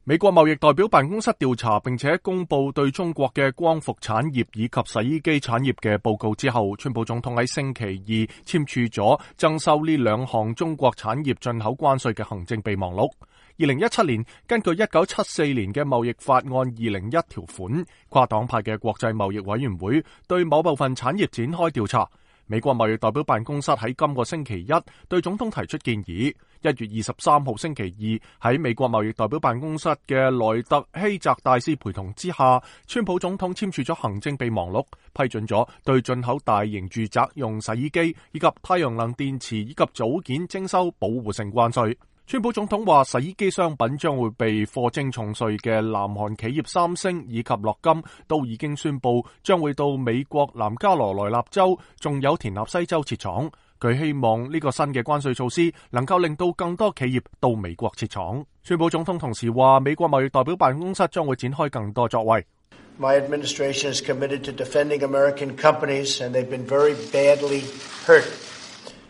美國貿易代表辦公室調查並且公布對中國嘅光伏產業以及洗衣機產業嘅報告之後，川普總統喺星期二簽署咗徵收呢兩項中國產業進口關稅嘅行政備忘錄。2017年，根據1974年嘅貿易法案201條款，跨黨派嘅國際貿易委員會對某部分產業展開調查。美國貿易代表辦公室喺今個星期一對總統提出建議。1月23號星期二，喺美國貿易代表辦公室嘅萊特希澤大使陪同之下，川普總統簽署咗行政備忘錄，批准咗對進口大型住宅用洗衣機以及太陽能電池以及組件徵收保護性關稅。川普總統話，洗衣機商品將會被課徵重稅嘅南韓企業三星以及樂金都已經宣布將會到美國南加羅來納州仲有田納西州設廠。佢希望呢個新嘅關稅措施能夠令到更多企業到美國設廠。川普總統同時話，美國貿易代表辦公室將會展開更多作為。My administration is committed to defending American companies, and they've been very badly hurt.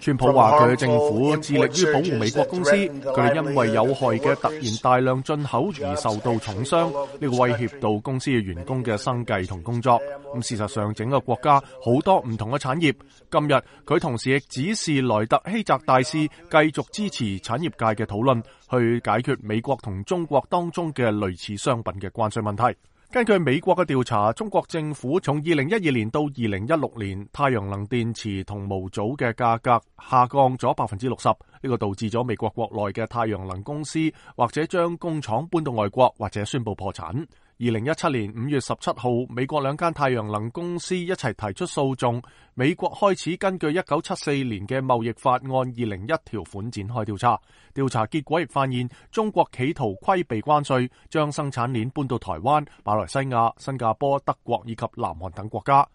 川普話佢嘅政府致力於保護美國公司，佢哋因為有害嘅突然大量進口而受到重傷，呢個威脅到公司嘅員工嘅生計同工作。事實上，整個國家好多唔同嘅產業。今日佢同時亦指示萊特希澤大使繼續支持產業界嘅討論，去解決美國同中國當中嘅類似商品嘅關稅問題。根據美國嘅調查，中國政府從2012年到2016年，太陽能電池同模組嘅價格下降咗 60%， 呢個導致咗美國國內嘅太陽能公司或者將工廠搬到外國，或者宣布破產。2017年5月17號，美國兩間太陽能公司一齊提出訴訟，美國開始根據1974年嘅貿易法案201條款展開調查。調查結果亦發現，中國企圖規避關稅，將生產鏈搬到台灣、馬來西亞、新加坡、德國以及南韓等國家。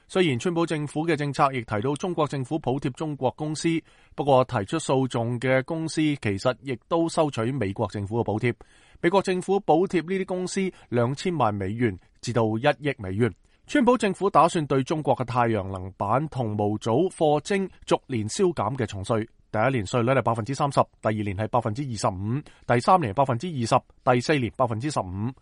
雖然川普政府嘅政策亦提到中國政府補貼中國公司，不過提出訴訟嘅公司其實亦都收取美國政府嘅補貼。美國政府補貼呢啲公司2000萬美元至到1億美元。川普政府打算對中國嘅太陽能板同模組課徵逐年消減嘅重稅，第一年稅率係 30%， 第二年係 25%， 第三年係 20%， 第四年 15%。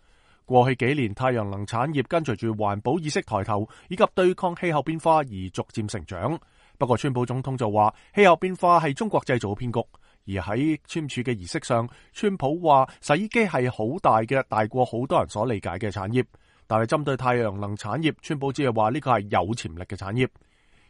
過去幾年，太陽能產業跟隨住環保意識抬頭以及對抗氣候變化而逐漸成長。不過川普總統就話，氣候變化係中國製造嘅騙局。而喺簽署嘅儀式上，川普話洗衣機係好大嘅，大過好多人所理解嘅產業。但係針對太陽能產業，川普只係話呢個係有潛力嘅產業。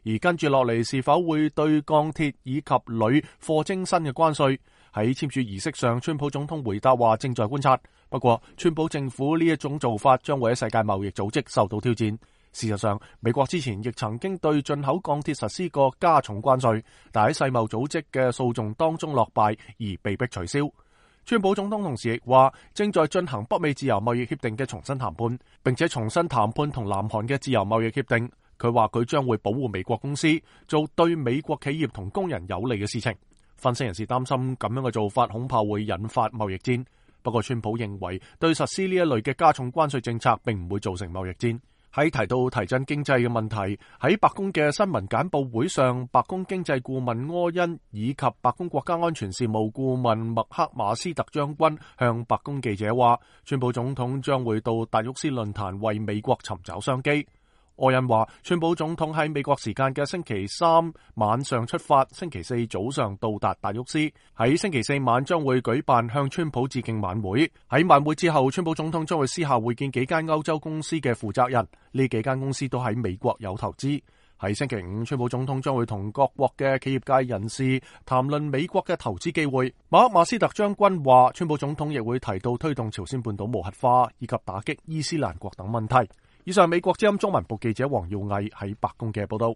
而跟住落嚟是否會對鋼鐵以及鋁課徵新嘅關稅？喺簽署儀式上，川普總統回答話正在觀察。不過川普政府呢一種做法將會喺世界貿易組織受到挑戰。事實上，美國之前亦曾經對進口鋼鐵實施過加重關稅，但喺世貿組織嘅訴訟當中落敗而被迫取消。川普總統同時亦話正在進行北美自由貿易協定嘅重新談判，並且重新談判同南韓嘅自由貿易協定。佢話佢將會保護美國公司，做對美國企業同工人有利嘅事情。分析人士擔心咁樣嘅做法恐怕會引發貿易戰。不過川普認為對實施呢一類嘅加重關稅政策並唔會造成貿易戰。喺提到提振經濟嘅問題，喺白宮嘅新聞簡報會上，白宮經濟顧問柯恩以及白宮國家安全事務顧問麥克馬斯特將軍向白宮記者話，川普總統將會到達沃斯論壇為美國尋找商機。柯恩話，川普總統喺美國時間嘅星期三晚上出發，星期四早上到達達沃斯，喺星期四晚將會舉辦向川普致敬晚會。喺晚會之後，川普總統將會私下會見幾間歐洲公司嘅負責人，呢幾間公司都喺美國有投資。喺星期五，川普總統將會同各國嘅企業界人士談論美國嘅投資機會。馬克馬斯特將軍話，川普總統亦會提到推動朝鮮半島無核化以及打擊伊斯蘭國等問題。以上美國之音中文部記者黃耀毅喺白宮嘅報道。